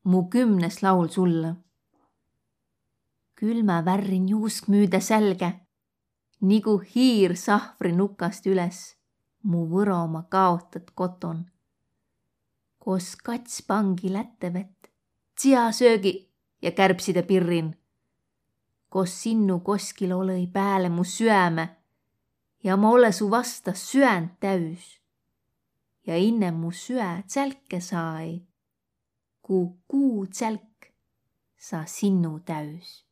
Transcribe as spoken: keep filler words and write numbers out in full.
Mu kümnes laul sullõ. Külmä värrin juusk müüdä sälgä, nigu hiir sahvri nukast üles, mu Võromaa kaotat koton. Kos kats pangi lättevett, tsiasöögi ja kärbside pirrin. Kos sinnu koskil olõ-i pääle mu süäme ja ma olõ su vasta süänd täüs. Ja inne mu süä tsälke saa-i, ku kuu tsälk saa sinnu täüs.